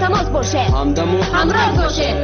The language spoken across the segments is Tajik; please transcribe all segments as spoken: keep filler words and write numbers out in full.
Тамос бошед, ҳамдаму ҳамроз бошед.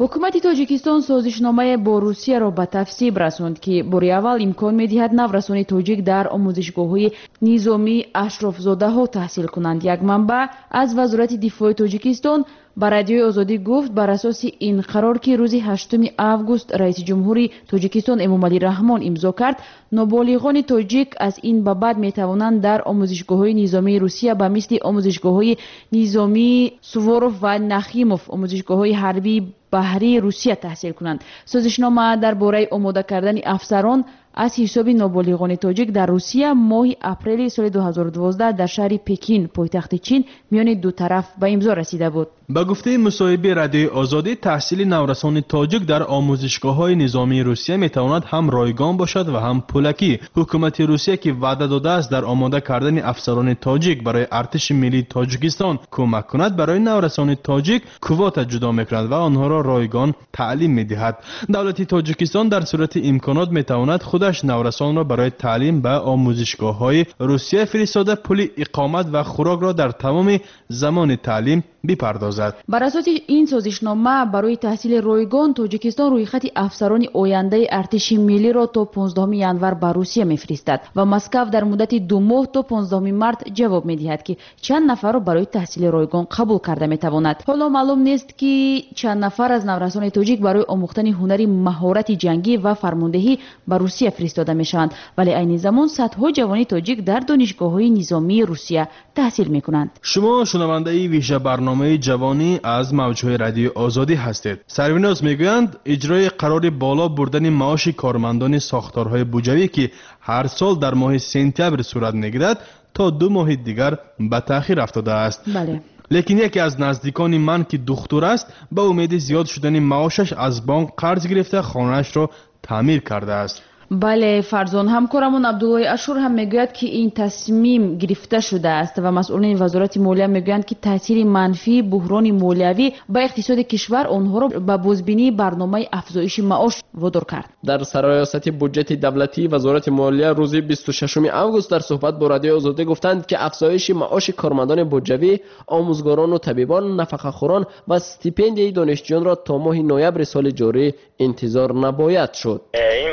Ҳукумати Тоҷикистон созишномае бо Русияро ба тасвиб расонд, ки бори аввал имкон медиҳад наврасони тоҷик дар омӯзишгоҳҳои низомии ашрофзодаҳо таҳсил кунанд. Як манбаъ аз Вазорати дифои Тоҷикистон ба Радиои Озодӣ гуфт, бар асоси ин қарор, ки рӯзи ҳаштуми август раиси ҷумҳури Тоҷикистон Эмомалӣ Раҳмон имзо кард, ноболиғони тоҷик аз ин ба баъд метавонанд дар омӯзишгоҳҳои низомии Русия ба мисли омӯзишгоҳҳои низомии Суворов ва Нахимов, омӯзишгоҳҳои ҳарбии баҳрии Русия таҳсил кунанд. Созишнома дар бораи омода кардани афсарон аз ҳисоби ноболиғони тоҷик дар Русия моҳи апрели соли ду ҳазору дувоздаҳ дар шаҳри Пекин, пойтахти Чин, миёни ду тараф ба имзо расида буд. Ба гуфтаи мусоҳиби Радиои Озодӣ, таҳсили наврасони тоҷик дар омӯзишгоҳҳои низомии Русия метавонад ҳам ройгон бошад ва ҳам пулакӣ. Ҳукумати Русия, ки ваъда додааст дар омода кардани афсарони тоҷик барои артиши миллии Тоҷикистон кӯмак кунад, барои наврасони тоҷик квота ҷудо мекунад ва онҳоро ройгон таълим медиҳад. Давлати Тоҷикистон дар сурати имконот метавонад худаш наврасонро барои таълим ба омӯзишгоҳҳои Русия фиристода, пули иқомат ва хӯрокро дар тамоми замони таълим бипардозад. Бар асоси ин созишнома барои таҳсили ройгон Тоҷикистон рӯйхати афсарони ояндаи артиши миллиро то понздаҳуми январ ба Русия мефиристад ва Москав дар муддати ду моҳ то понздаҳуми март ҷавоб медиҳад, ки чанд нафарро барои таҳсили ройгон қабул карда метавонад. Ҳоло маълум нест, ки чанд нафар аз наврасони тоҷик барои омӯхтани ҳунари маҳорати ҷангӣ ва фармондеҳӣ ба Русия фиристода мешаванд, вале айни замон садҳо ҷавони тоҷик дар донишгоҳҳои низомии Русия таҳсил мекунанд. Шумо шунавандаи вижа барномаи ҷавонӣ аз мавҷҳои Радиои Озодӣ ҳастед. Сарвиноз, мегӯянд, иҷрои қарори боло бурдани маоши кормандони сохторҳои буҷавӣ, ки ҳар сол дар моҳи сентябр сурат мегирад, то ду моҳи дигар ба таъхир афтодааст. Бале. Лекин яке аз наздикони ман, ки духтур аст, ба умеди зиёд шудани маошаш аз бонк қарз гирифта, хонаашро таъмир кардааст. Бале, Фарзон, ҳамкорамон Абдуллои Ашур ҳам мегӯяд, ки ин тасмим гирифта шудааст ва масъулини Вазорати молия мегӯянд, ки таъсири манфии буҳрони молиявӣ ба иқтисоди кишвар онҳоро ба бозбинии барномаи афзоиши маош водор кард. Дар Сарраёсати буҷети давлатии Вазорати молия рӯзи бисту шашуми август дар суҳбат бо Радиои Озодӣ гуфтанд, ки афзоиши маоши кормандони буҷавӣ, омӯзгорону табибон, нафақахӯрон ва стипендияи донишҷӯёнро то моҳи ноябри соли ҷорӣ интизор набояд шуд. Ин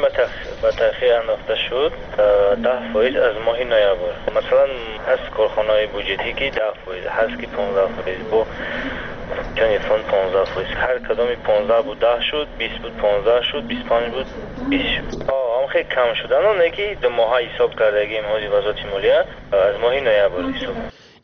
ба таъхир андохта шуд, даҳ фоиз аз моҳи ноябр. Масалан, ҳаст корхонаҳои буҷетӣ, ки даҳ фоиз ҳаст, ки понздаҳ фоиз, бо чани фонд понздаҳ фоиз, ҳар кадоми понздаҳ буд, даҳ шуд, бист буд, понздаҳ шуд, бисту панҷ буд, бист шуд. Ҳам хеле кам шудан, не ки ду моҳа ҳисоб кардагим. Ҳози Вазорати молия аз моҳи ноябр ҳисоб.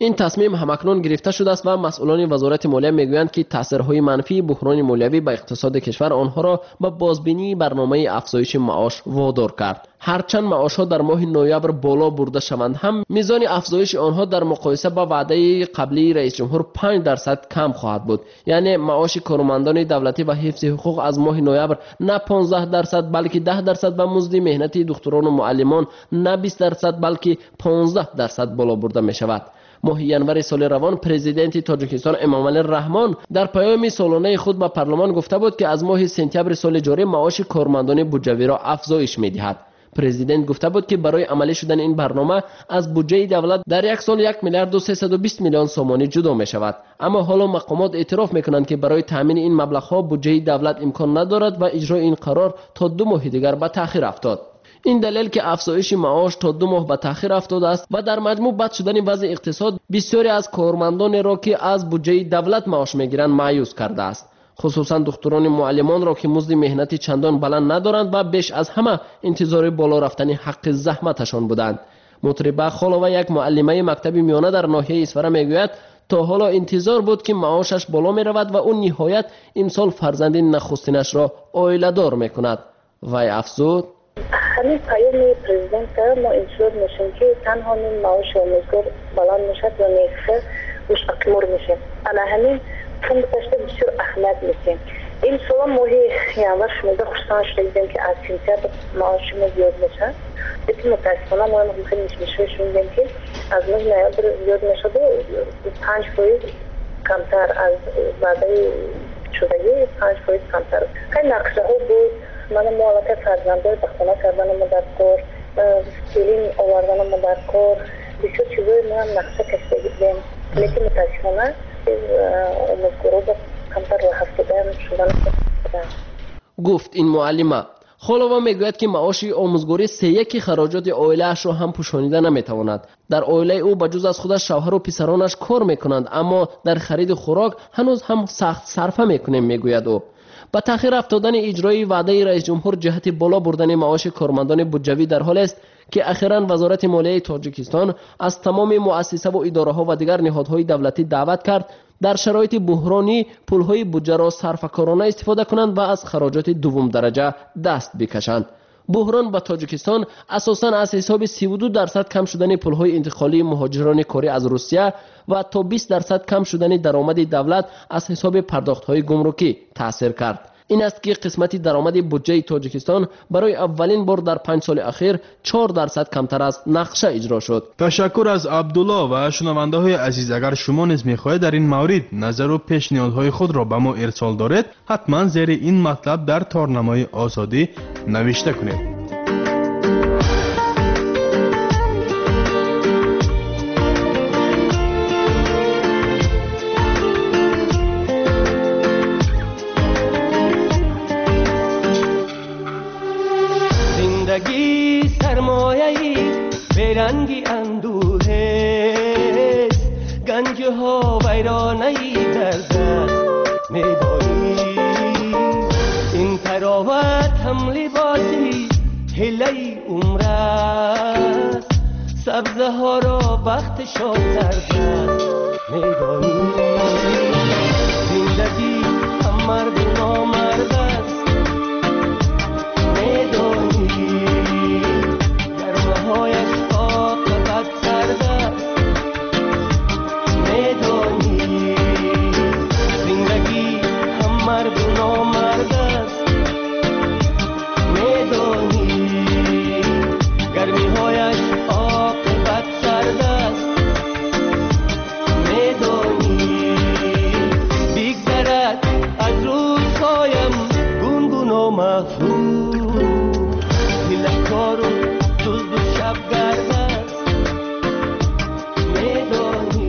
Ин тасмим ҳамакнун гирифта шудааст ва масъулони Вазорати молия мегӯянд, ки таъсирҳои манфии буҳрони молиявӣ ба иқтисоди кишвар онҳоро ба бозбинии барномаи афзоиши маош водор кард. Ҳарчанд маошҳо дар моҳи ноябр боло бурда шаванд ҳам, мизони афзоиши онҳо дар муқоиса ба ваъдаи қаблии раисҷумҳур панҷ дарсад кам хоҳад буд. Яъне маоши кормандони давлатӣ ва ҳифзи ҳуқуқ аз моҳи ноябр на понздаҳ дарсад, балки даҳ дарсад ва музди меҳнати духтурону муаллимон на бист дарсад, балки понздаҳ дарсад боло бурда мешавад. Моҳи январи соли равон президенти Тоҷикистон Эмомалӣ Раҳмон дар паёми солонаи худ ба парлумон гуфта буд, ки аз моҳи сентябри соли ҷорӣ маоши кормандони буҷавиро афзоиш медиҳад. Президент гуфта буд, ки барои амалӣ шудани ин барнома аз буҷаи давлат дар як сол як миллиарду сесаду бист миллион сомонӣ ҷудо мешавад. Аммо ҳоло мақомот эътироф мекунанд, ки барои таъмини ин маблағҳо буҷаи давлат имкон надорад ва иҷрои ин қарор то ду моҳи дигар ба таъхир афтод. Ин далел, ки афзоиши маош то ду моҳ ба таъхир афтодааст ва дар маҷмӯъ бад шудани вазъи иқтисод бисёре аз кормандонеро, ки аз буҷаи давлат маош мегиранд, маъюс кардааст, хусусан духтурони муаллимонро, ки музди меҳнати чандон баланд надоранд ва беш аз ҳама интизори боло рафтани ҳаққи заҳматашон буданд. Мутриба Холова, як муаллимаи мактаби миёна дар ноҳияи Исфара, мегӯяд, то ҳоло интизор буд, ки маошаш боло меравад ва ӯ ниҳоят имсол фарзанди нахустинашро оиладор мекунад. Вай афзуд: Ҳамин паёми президента мо интизор мешем, ки танҳо ним маоши омӯзгор баланд мешавад ё не, мустақимур мешем. Ана ҳамин пункташда бисёр аҳамият месем. Имсола моҳи январ шунида хурсанд шуда будем, ки аз сентябр маоши мо зиёд мешавад, лекин мутаассифона мо хеле мишмишҳо шунидем, ки аз моҳи ноябр зиёд мешаваду панҷ фоиз камтар аз ваъдаи шудагӣ, панҷ фоиз камтар. Хеле нақшаҳо буд. Мана мо аллакай фарзандои ба хона карданамо дар кор, келин оварданамо дар кор, бисёр чизои моам нақша кашидагӣ будем. Лекин мутаассифона омӯзгоро камтар роҳафтода шудан. Гуфт ин муаллима. Холова мегӯяд, ки маоши омӯзгорӣ сеяки хароҷоти оилаашро ҳам пӯшонида наметавонад. Дар оилаи ӯ ба ҷуз аз худаш шавҳару писаронаш кор мекунанд, аммо дар хариди хӯрок ҳанӯз ҳам сахт сарфа мекунем, мегӯяд ӯ. Ба таъхир афтодани иҷрои ваъдаи раисҷумҳур ҷиҳати боло бурдани маоши кормандони буҷавӣ дар ҳолест, ки ахиран Вазорати молияи Тоҷикистон аз тамоми муассисаву идораҳо ва дигар ниҳодҳои давлатӣ даъват кард дар шароити буҳронӣ пулҳои буҷаро сарфакорона истифода кунанд ва аз хароҷоти дуввумдараҷа даст бикашанд. Буҳрон ба Тоҷикистон асосан аз ҳисоби сиву ду дарсад кам шудани пулҳои интиқолии муҳоҷирони корӣ аз Русия ва то бист дарсад кам шудани даромади давлат аз ҳисоби пардохтҳои гумрукӣ таъсир кард. Ин аст, ки қисмати даромади буҷаи Тоҷикистон барои аввалин бор дар панҷ соли ахир чор дарсад камтар аз нақша иҷро шуд. Ташаккур аз Абдулло ва шунавандаҳои азиз. Агар шумо низ мехоҳед дар ин маврид назару пешниҳодҳои худро ба мо ирсол доред, ҳатман зери ин матлаб дар торнамои Озодӣ навишта кунед. Беранги андӯҳест, ганҷҳо вайронаи дар даст медонӣ. Ин тароват ҳам либоси ҳилаи умр аст, сабзаҳоро бахтшон дар даст медонӣ. Зиндагӣ ҳам марду номард аст, медонӣ. Гармаҳояш оқибат сард аст, медонӣ. Зиндагӣ ҳам марду номард аст, медонӣ. Гармиҳояш оқибат сард аст, медонӣ. Бигзарад аз рӯзҳоям гунгуно мафрӯз, ҳилакору дузду шабгард аст, медонӣ.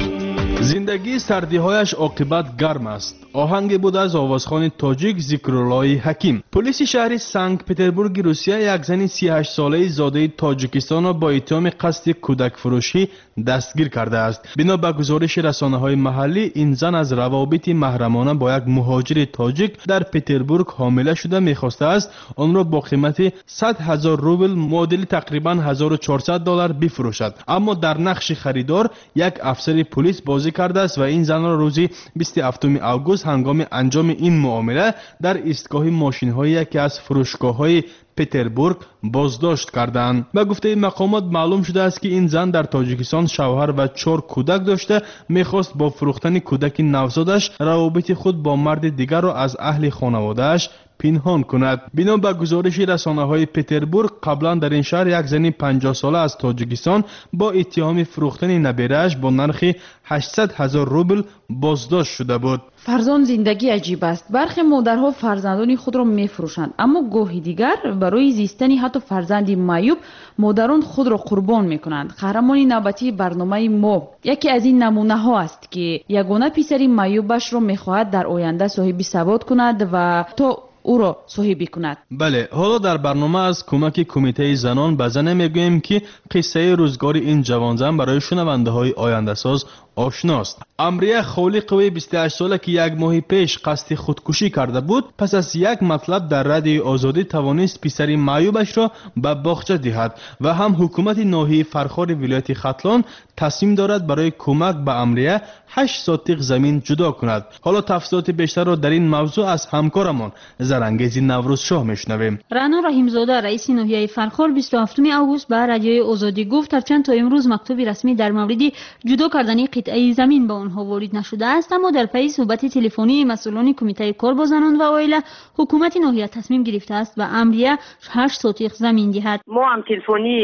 Зиндагии сардиҳояш оқибат гарм аст. Оҳанге буд аз овозхони тоҷик Зикруллои Ҳаким. Полиси шаҳри Санкт-Петербурги Русия як зани сиҳаштсолаи зодаи Тоҷикистонро бо иттиҳоми қасди кӯдакфурӯшӣ дастгир кардааст. Бино ба гузориши расонаҳои маҳаллӣ, ин зан аз равобити маҳрамона бо як муҳоҷири тоҷик дар Петербург ҳомила шуда мехостааст онро бо қимати сад ҳазор рубл муодили тақрибан ҳазору чорсад доллар бифурӯшад. Аммо дар нақши харидор як афсари пулис бозӣ кардааст ва ин занро рӯзи бисту ҳафтуми август ҳангоми анҷоми ин муомила дар истгоҳи мошинҳои яке аз фурӯшгоҳҳои Петербург боздошт карданд. Ба гуфтаи мақомот маълум шудааст, ки ин зан дар Тоҷикистон шавҳар ва чор кӯдак дошта мехост бо фурӯхтани кӯдаки навзодаш равобити худ бо марди дигарро аз аҳли хонаводааш пинҳон кунад. Бино ба гузориши расонаҳои Петербург, қаблан дар ин шаҳр як зани панҷоҳсола аз Тоҷикистон бо иттиҳоми фурӯхтани наберааш бо нархи ҳаштсад ҳазор рубл боздошт шуда буд. Фарзон, зиндагӣ аҷиб аст. Бархе модарҳо фарзандони худро мефурӯшанд, аммо гоҳи дигар барои зистани ҳатто фарзанди маъюб модарон худро қурбон мекунанд. Қаҳрамони навбатии барномаи мо яке аз ин намунаҳо аст, ки ягона писари маъюбашро мехоҳад дар оянда соҳиби савод кунад ва то ӯро соҳибӣ кунад. Бале, ҳоло дар барнома аз кӯмаки кумитаи занон ба зане мегӯем, ки қиссаи рӯзгори ин ҷавонзан барои шунавандаҳои ояндасоз ошност. Амрия Холиқови бисту ҳаштсола, ки як моҳи пеш қасди худкушӣ карда буд, пас аз як матлаб дар радиои Озодӣ тавонист писари маъюбашро ба боғча диҳад ва ҳам ҳукумати ноҳияи Фархори вилояти Хатлон тасмим дорад барои кӯмак ба Амрия ҳашт сотиқ замин ҷудо кунад. Ҳоло тафсилоти бештарро дар ин мавзӯъ аз ҳамкорамон Зарангези Наврӯзшоҳ мешунавем. Раъно Раҳимзода, раиси ноҳияи Фархор, бисту ҳафтуми август ба радиои Озодӣ гуфт, ҳарчанд то имрӯз мактуби расмӣ дар мавриди ҷудо кардани қитъаи замин ба онҳо ворид нашудааст, аммо дар пайи суҳбати телефонии масъулони кумитаи кор бо занон ва оила ҳукумати ноҳия тасмим гирифтааст ба Амрия ҳашт сотиқ замин диҳад. Мо ҳам телефонӣ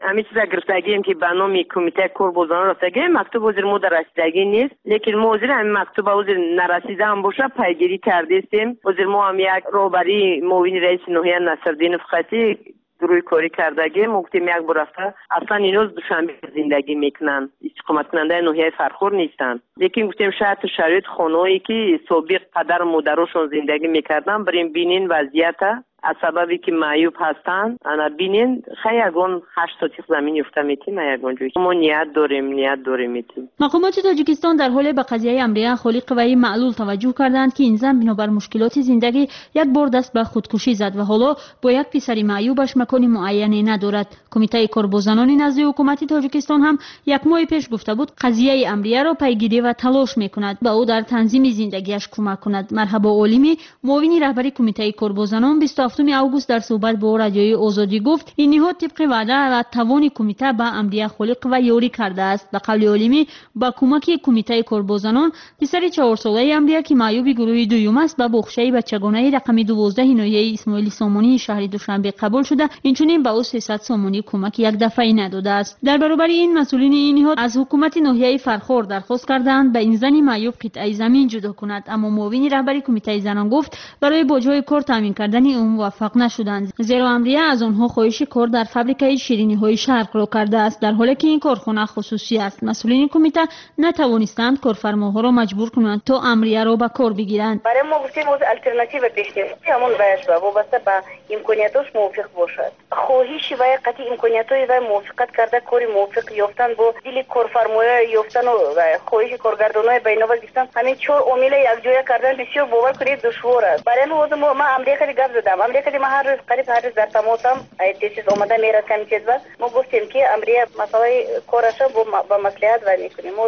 ҳамин чиза гирифтагием, ки ба номи кумитаи кор бо занон рафтагием. Мактуб ҳозир мо дар расидагӣ нест, лекин мо ҳозир ҳамин мактуба ҳозир нарасида ҳам боша пайгирӣ кардестем. Ҳозир мо ҳам як роҳбарии муовини раиси ноҳия Насрдинов хати рӯи корӣ кардагем. Мо гуфтем як бор рафта, аслан ино Душанбе зиндагӣ мекунанд, истиқоматкунандаи ноҳияи Фархор нестанд, лекин гуфтем шарту шароит хонаҳое ки собиқ падару модарошон зиндагӣ мекарданд, бирем бинен вазъията, аз сабабе ки маъюб ҳастанд, ана бинен, хай ягон ҳашт сотих замин ёфта метим, ягон ҷой мо ният дорем, ният дорем метим. Мақомоти Тоҷикистон дар ҳоле ба қазияи Амрия Холиқоваи маълул таваҷҷӯҳ карданд, ки ин зан бинобар мушкилоти зиндагӣ як бор даст ба худкушӣ зад ва ҳоло бо як писари маъюбаш макони муайяне надорад. Кумитаи кор бо занони назди ҳукумати Тоҷикистон ҳам як моҳи пеш гуфта буд, қазияи Амрияро пайгирӣ ва талош мекунад, ба ӯ дар танзими зиндагиаш кӯмак кунад. Марҳабо Олимӣ, муовини раҳбари Кумитаи кор бо занон, бисту ҳафтуми август дар суҳбат бо Радиои Озодӣ гуфт, ин ниҳод тибқи ваъда ва тавони кумита ба Амрия Холиқова ёрӣ кардааст. Ба қавли Олимӣ, ба кӯмаки Кумитаи кор бо занон писари чаҳорсолаи Амрия, ки маъюби гурӯҳи дуюм аст, ба боғчаи бачагонаи рақами дувоздаҳи ноҳияи Исмоили Сомонии шаҳри Душанбе қабул шуда, инчунин ба ӯ сесад сомонӣ кӯмаки якдафъаӣ надодааст. Дар баробари ин масъулини ин ниҳод аз ҳукумати ноҳияи Фархор дархост кардаанд ба ин зани маъюб қитъаи замин ҷудо кунад, аммо муовини раҳбари Кумитаи занон гуфт, барои бо ҷои кор таъмин кардани ӯ муваффақ нашуданд, зеро Амрия аз онҳо хоҳиши кор дар фабрикаи шириниҳои Шарқро кардааст, дар ҳоле ки ин корхона хусусӣ аст. Масъулини кумита натавонистанд корфармоҳоро маҷбур кунанд то Амрияро ба кор бигиранд. Барои мо гуфтем алтернатива пешниҳод, ҳамон ваяш ба вобаста ба имкониятош мувофиқ бошад. Хоҳиши вай қатъи имкониятҳои вай мувофиқат карда, кори мувофиқ ёфтан, бо дили корфармоя ёфтану хоҳиши коргардонои ба инобат гирифтан, ҳамин чор омила якҷоя кардан бисёр, бовар кунед, душвор аст. Барои ҳамин ҳозир ман Амрия кади гап задам. Амрия кади ман ҳар рӯз, қариб ҳар рӯз дар тамосам, тез омада мерад комитет ба. Мо гуфтем ки Амрия масъалаи кораша ба маслиҳат вай мекунем. Мо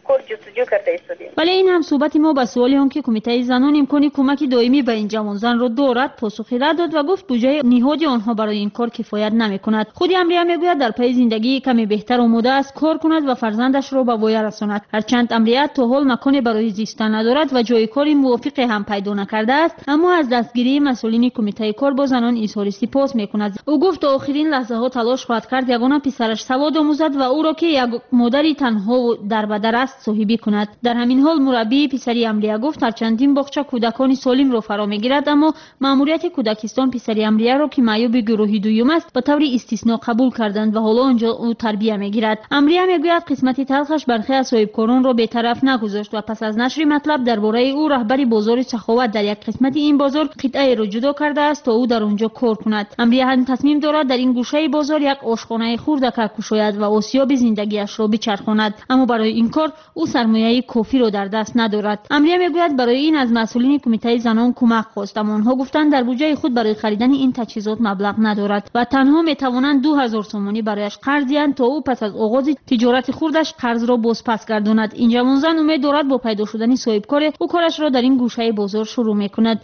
кор ҷустуҷӯ карда истодем. Вале ин ҳам суҳбати мо ба суоли он ки Кумитаи занон имкони кӯмаки доимӣ ба ин ҷавонзанро дорад, посухи рад дод ва гуфт буҷаи ниҳоди онҳо барои ин кор кифоят намекунад. Худи Амрия мегӯяд, дар пайи зиндагии каме беҳтар омода аст кор кунад ва фарзандашро ба воя расонад. Ҳарчанд Амрия то ҳол маконе барои зистан надорад ва ҷои кори мувофиқе ҳам пайдо накардааст, аммо аз дастгирии масъулини Кумитаи кор бо занон изҳори сипос мекунад. Ӯ гуфт то охирин лаҳзаҳо талош хоҳад кард ягона писараш савод омӯзад ва ӯро, ки як модари танҳову дарбадар аст, соҳибӣ кунад. Дар ҳамин ҳол мураббии писари Амрия гуфт, ҳарчанд ин боғча кӯдакони солимро фаро мегирад, аммо маъмурияти кӯдакистон писари Амрияро, ки маъюби гурӯҳи дуюм аст, ба таври истисно қабул карданд ва ҳоло онҷо ӯ тарбия мегирад. Амрия мегӯяд, қисмати талхаш бархе аз соҳибкоронро бетараф нагузошт ва пас аз нашри матлаб дар бораи ӯ раҳбари бозори Саховат дар як қисмати ин бозор қитъаеро ҷудо кардааст то ӯ дар онҷо кор кунад. Амрия ҳам тасмим дорад дар ин гӯшаи бозор як ошхонаи хурдака кушояд ва осиёби зиндагиашро бичархонад, аммо барои ин кор ӯ сармояи кофиро дар даст надорад. Амрия мегӯяд, барои ин аз масъулини Кумитаи занон кӯмак хост, аммо онҳо гуфтанд дар буҷаи худ барои харидани ин таҷҳизот маблағ надорад ва танҳо метавонанд ду ҳазор сомонӣ барояш қарз диҳанд то ӯ пас аз оғози тиҷорати хурдаш қарзро бозпас гардонад. Ин ҷавонзан умед дорад бо пайдо шудани соҳибкоре ӯ корашро дар ин гӯшаи бозор шурӯъ мекунад.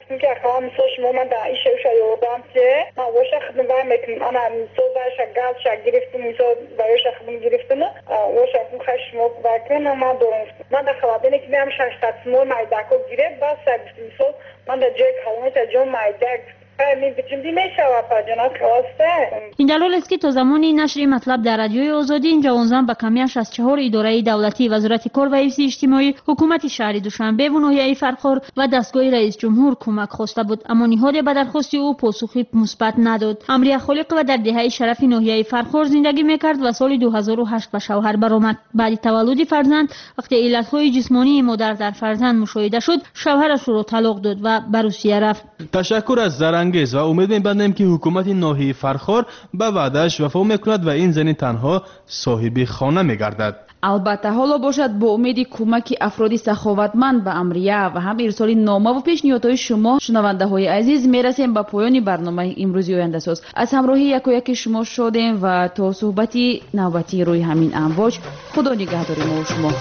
Ин дар ҳолест ки то замони нашри матлаб дар Радиои Озодӣ ин ҷавонзан ба камияш аз чаҳор идораи давлатӣ, Вазорати кор ва ҳифзи иҷтимоӣ, ҳукумати шаҳри Душанбе ва ноҳияи Фархор ва дастгоҳи раисҷумҳур кӯмак хоста буд, аммо ниҳоде ба дархости ӯ посухи мусбат надод. Амрия Холиқова дар деҳаи Шарафи ноҳияи Фархор зиндагӣ мекард ва соли ду ҳазору ҳашт ба шавҳар баромад. Баъди таваллуди фарзанд, вақте иллатҳои ҷисмонии модар дар фарзанд мушоҳида шуд, шавҳараш ӯро талоқ дод ва ба Русия рафт. Ташаккур аз Зарангез ва умед мебандем ки ҳукумати ноҳияи Фархор ба ваъдааш вафо мекунад ва ин зани танҳо соҳиби хона мегардад. Албатта, ҳоло бошад бо умеди кӯмаки афроди саховатманд ба Амрия ва ҳам ирсоли номаву пешниҳодҳои шумо, шунавандаҳои азиз, мерасем ба поёни барномаи имрӯзи ояндасоз. Аз ҳамроҳии якояки шумо шодем ва то суҳбати навбатии рӯи ҳамин амвоҷ Худо нигаҳдори мо шумо.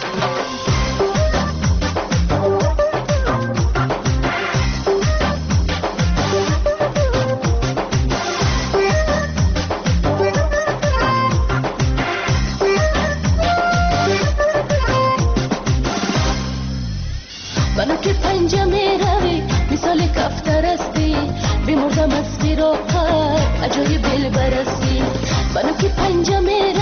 Бимурдам аз фироқат, аҷоиб дилбарасӣ. Бану ки панҷа меравӣ.